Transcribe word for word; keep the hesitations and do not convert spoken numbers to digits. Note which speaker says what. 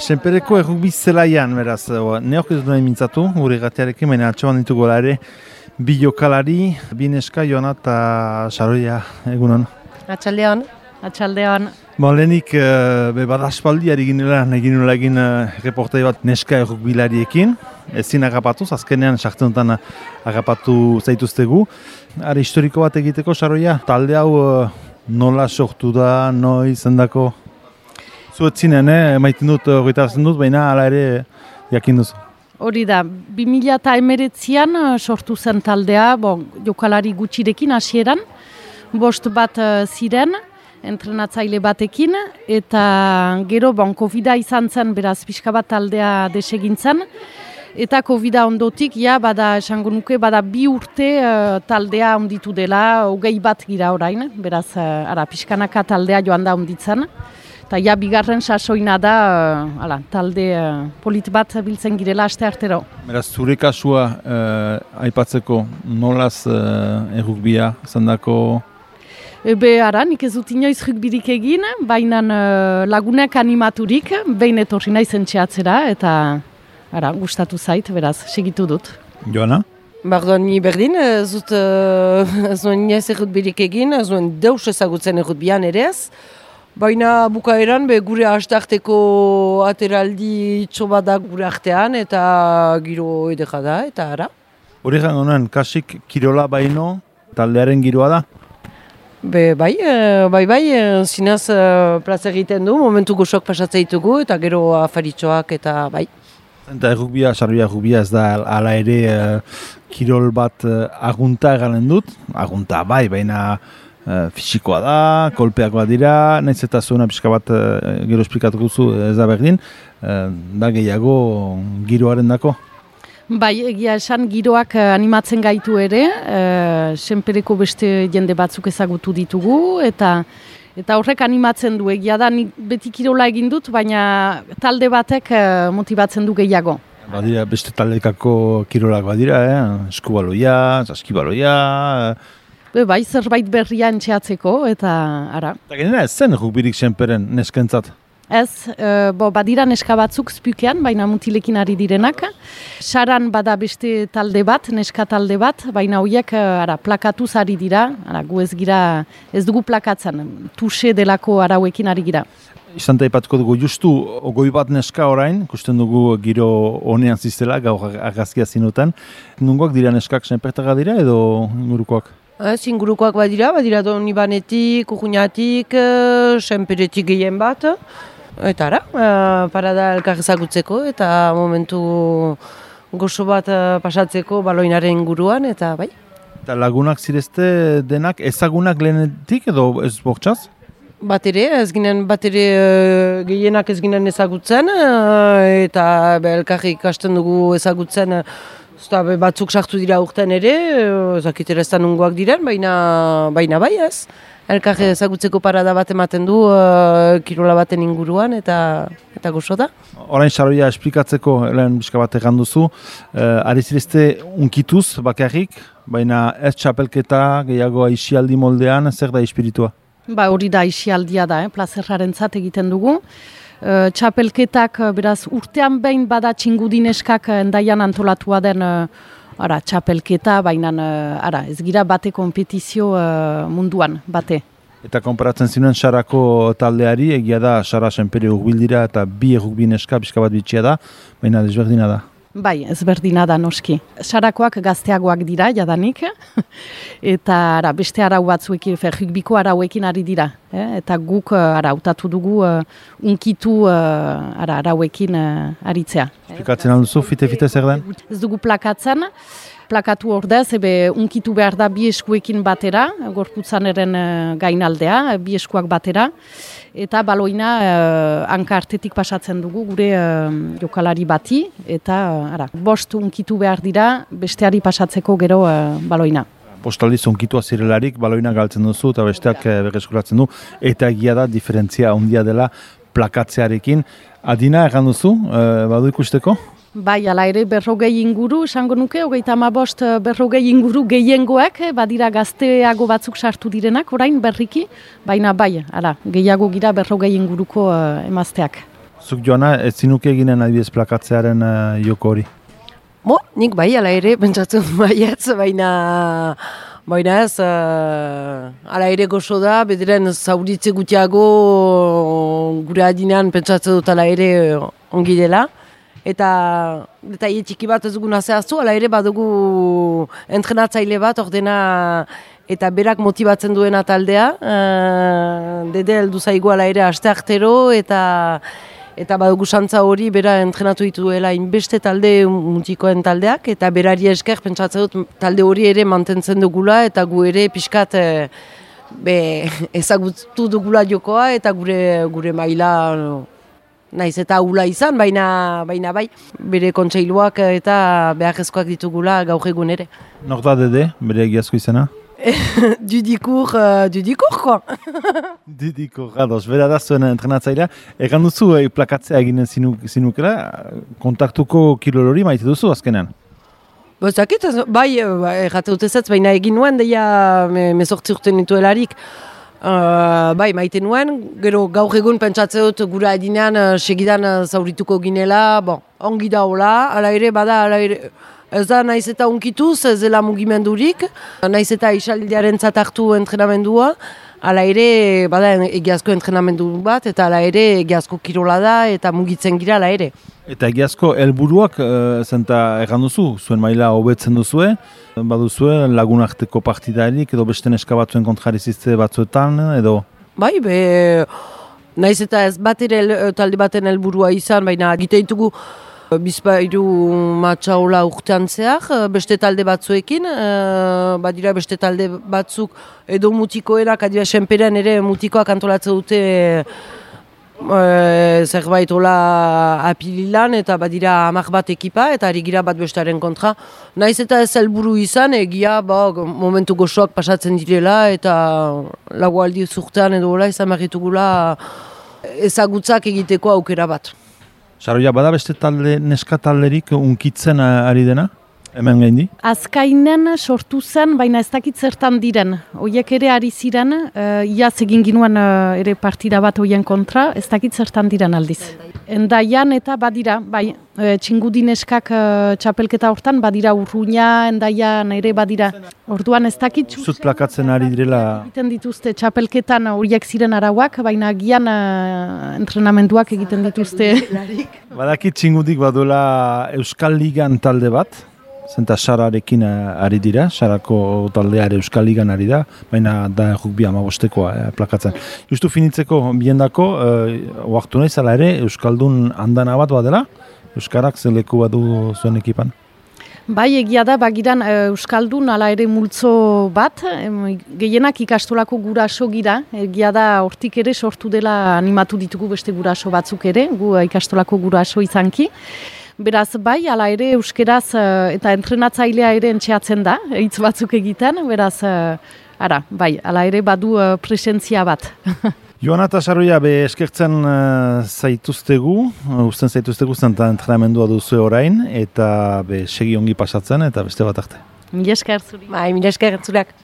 Speaker 1: Senpereko errugbi zelaian, beraz, neok ez duen mintzatu, gure gatiarekin, baina atxaban ditugu ere, bi jokalari, bi neska, Joana eta Saroia, egunon.
Speaker 2: Atxaldeon, atxaldeon.
Speaker 1: Bon, lehenik, be badaspaldi ari ginelan, egin nola egin reportai bat neska errugbilariekin, ezin agapatuz, azkenean sartzenetan agapatu zaituztegu. Are historiko bat egiteko, Saroia, talde hau nola sortu da, noiz, zendako? Zuetzinen, eh? Maiten dut, goitarazten dut, baina hala ere jakin duzu.
Speaker 2: Hori da, bi mila hemeretzian sortu zen taldea, bon, jokalari gutxirekin hasieran, bost bat ziren, entrenatzaile batekin, eta gero bon, Covida izan zen, beraz, pixka bat taldea desegintzen, eta Covida ondotik, ja, bada, esango nuke, bada bi urte uh, taldea onditu dela, hogei bat gira orain, beraz, uh, ara, pixkanaka taldea joan da onditzen. Eta ja, bigarren sasoina da, uh, ala, talde uh, polit bat biltzen girela aste artero.
Speaker 1: Beraz, zure kasua uh, aipatzeko nolaz uh, errugbia zendako?
Speaker 2: Ebe, ara, nik ez dut inoiz rugbirik egin, baina uh, lagunek animaturik, behin etorri nahi zentxeatzera, eta ara, gustatu zait, beraz, segitu dut.
Speaker 1: Joana?
Speaker 3: Bardoan, ni berdin, ez dut, uh, ez duen inoiz errutbirik egin, ez duen deus ezagutzen errutbian ere ez. Baina bukaeran be gure hastarteko ateraldi txoba da gure artean eta giro edeka da eta ara.
Speaker 1: Hori jango nuen, kasik kirola baino taldearen giroa da?
Speaker 3: Be bai, bai bai, zinaz plaza egiten du, momentu goxok pasatzea ditugu eta gero afaritxoak eta bai.
Speaker 1: Eta errugbia, Saroia errugbia ez da hala ere uh, kirol bat uh, agunta egalen dut, agunta bai, baina Uh, fisikoa da, kolpeak bat dira, nahiz eta zuena pixka bat uh, gero esplikatuko zu ez da berdin, uh, da gehiago giroaren dako?
Speaker 2: Bai, egia esan giroak animatzen gaitu ere, uh, senpereko beste jende batzuk ezagutu ditugu, eta eta horrek animatzen du, egia da nik beti kirola egin dut, baina talde batek uh, motibatzen du gehiago.
Speaker 1: Badira, beste taldekako kirolak badira, eh? Eskubaloia, saskibaloia...
Speaker 2: Be, bai, zerbait berria entxeatzeko, eta ara.
Speaker 1: Eta genera ez zen rugbirik senperen neskentzat?
Speaker 2: Ez, e, bo, badira neska batzuk zpukean, baina mutilekin ari direnak. Saran bada beste talde bat, neska talde bat, baina horiek ara, plakatuz ari dira, ara, gu ez gira, ez dugu plakatzen, tuse delako arauekin ari gira.
Speaker 1: Izan da ipatuko dugu, justu ogoi bat neska orain, ikusten dugu giro honean ziztela, gaur argazkia zinuten. Nungoak dira neskak senpertaga dira edo ingurukoak?
Speaker 3: Ez, ingurukoak badira, badira Donibanetik, Urruñatik, senperetik gehien bat. Eta ara, parada elkar ezagutzeko eta momentu gozo bat pasatzeko baloinaren inguruan, eta bai.
Speaker 1: Eta lagunak zirezte denak ezagunak lehenetik edo ez bortxaz?
Speaker 3: Bat ere, ez ginen bat ere gehienak ez ginen ezagutzen, eta elkar ikasten dugu ezagutzen. Zta, batzuk sartu dira urten ere, ezakitera ez da nungoak diren, baina, baina bai ez. Elkar ezagutzeko parada bat ematen du, uh, kirola baten inguruan, eta eta gozo da.
Speaker 1: Orain Saroia esplikatzeko, lehen bizka bat egan duzu, uh, ari zirezte unkituz bakarrik, baina ez txapelketa gehiago aisialdi moldean, zer da espiritua?
Speaker 2: Ba, hori da aisialdia da, eh? Plazerraren zat egiten dugu. Uh, txapelketak, beraz, urtean behin bada txingudineskak endaian antolatua den uh, ara, txapelketa, baina uh, ara, ez gira bate kompetizio uh, munduan, bate.
Speaker 1: Eta konparatzen zinuen Sarako taldeari, egia da Sara senpere urbildira eta bi errugbineska pixka bat bitxia da, baina desberdina da.
Speaker 2: Bai, ezberdina da noski. Sarakoak gazteagoak dira, jadanik, eta ara, beste arau batzuek, rugbiko arauekin ari dira. Eh? Eta guk ara, utatu dugu uh, unkitu uh, ara, arauekin uh, aritzea.
Speaker 1: Esplikatzen alduzu, fite-fite zer den?
Speaker 2: Ez dugu plakatzen, plakatu ordez, ebe unkitu behar da bi eskuekin batera, gorputzaneren uh, gainaldea, bi eskuak batera, eta baloina uh, hanka artetik pasatzen dugu gure uh, jokalari bati, eta uh, ara, bost unkitu behar dira besteari pasatzeko gero uh, baloina.
Speaker 1: Postaldiz unkitua zirelarik, baloina galtzen duzu eta besteak uh, berreskuratzen du, eta egia da diferentzia handia dela plakatzearekin. Adina egan duzu, uh, badu ikusteko?
Speaker 2: Bai, ala ere berrogei inguru, esango nuke, hogeita hamabost berrogei inguru gehiengoak, badira gazteago batzuk sartu direnak, orain berriki, baina bai, ala, gehiago gira berrogei inguruko uh, emazteak.
Speaker 1: Zuk Joana, ez zinuke eginen adibidez plakatzearen uh, joko hori?
Speaker 3: Bo, nik bai, ala ere, pentsatzen baietz, baina... Baina ez, uh, ala ere gozo da, bederen zauritze gutiago gure adinean pentsatzen dut ala ere ongi dela. Eta detaile txiki bat ez duguna zehaztu, ala ere badugu entrenatzaile bat, ordena eta berak motibatzen duena taldea. Uh, dede heldu zaigu ala ere asteartero eta... Eta badugu santza hori bera entrenatu dituela inbeste talde mutikoen taldeak, eta berari esker pentsatzen dut talde hori ere mantentzen dugula eta gu ere pixkat e, be, ezagutu dugula jokoa eta gure gure maila naiz eta ahula izan, baina, baina bai bere kontseiluak eta beharrezkoak ditugula gaur egun ere.
Speaker 1: Nor da Dede, bere egiazko izena?
Speaker 3: Dudikur, uh, dudikur, ko?
Speaker 1: Dudikur, ados, bera da zuen entrenatzailea. Egan duzu eh, plakatzea eginen zinu, zinukera, kontaktuko kirol hori maite duzu azkenean?
Speaker 3: Bozakit, bai, errate dut ezetz, baina egin nuen, deia me, mezortzi urte nituelarik. Uh, bai, maite nuen, gero gaur egun pentsatzen dut gure adinean uh, segidan uh, zaurituko ginela, bon, ongi da hola, ala ere, bada, ala ere... Ez da, naiz eta unkituz, ez dela mugimendurik, naiz eta isaldiaren hartu entrenamendua, ala ere, bada egiazko entrenamendu bat, eta ala ere egiazko kirola da, eta mugitzen gira ala ere.
Speaker 1: Eta egiazko helburuak e, zenta erran duzu, zuen maila hobetzen duzue, baduzue lagunarteko partidarik, edo beste neska batzuen kontrarizizte batzuetan, edo?
Speaker 3: Bai, be, naiz eta ez bat ere talde baten helburua izan, baina egite ditugu, Bizpairu matxaula urtean zehar, beste talde batzuekin, uh, badira beste talde batzuk edo mutikoenak, adira senperen ere mutikoak antolatzen dute uh, zerbait hola apililan, eta badira hamak bat ekipa, eta ari gira bat bestaren kontra. Naiz eta ez helburu izan, egia ba, momentu gozoak pasatzen direla, eta lagu aldi zurtean edo hola izan marritugula ezagutzak egiteko aukera bat.
Speaker 1: Saroia, bada beste talde, neska talderik unkitzen ari dena, hemen gaindi?
Speaker 2: Azkainen sortu zen, baina ez dakit zertan diren. Oiek ere ari ziren, uh, iaz egin ginuen uh, ere partida bat hoien kontra, ez dakit zertan diren aldiz. Endaian eta badira, bai, uh, txingudi neskak uh, txapelketa hortan, badira Urruña, Endaian ere badira. Orduan ez dakit...
Speaker 1: Zut plakatzen ari direla...
Speaker 2: Egiten dituzte txapelketan horiek ziren arauak, baina gian uh, entrenamenduak egiten dituzte.
Speaker 1: Badakit txingudik baduela Euskal Ligan talde bat, zenta Sararekin ari dira, Sarako taldeare Euskal Ligan ari da, baina da rugby amabostekoa eh, plakatzen. Justu finitzeko biendako, eh, oartu nahi zala ere, Euskaldun handana bat badela, Euskarak zeleku badu zuen ekipan?
Speaker 2: Bai, egia da, bagiran Euskaldun ala ere multzo bat, em, gehienak ikastolako guraso gira, egia da hortik ere sortu dela animatu ditugu beste guraso batzuk ere, gu ikastolako guraso izanki. Beraz, bai, ala ere euskeraz eta entrenatzailea ere entxeatzen da, hitz batzuk egiten, beraz, ara, bai, ala ere badu presentzia bat.
Speaker 1: Joana eta Saroia, be eskertzen uh, zaituztegu, uh, usten zaituztegu zen eta entrenamendua duzu orain, eta be segi ongi pasatzen, eta beste bat arte.
Speaker 2: Mila esker zuri.
Speaker 3: Bai, mila esker zureak.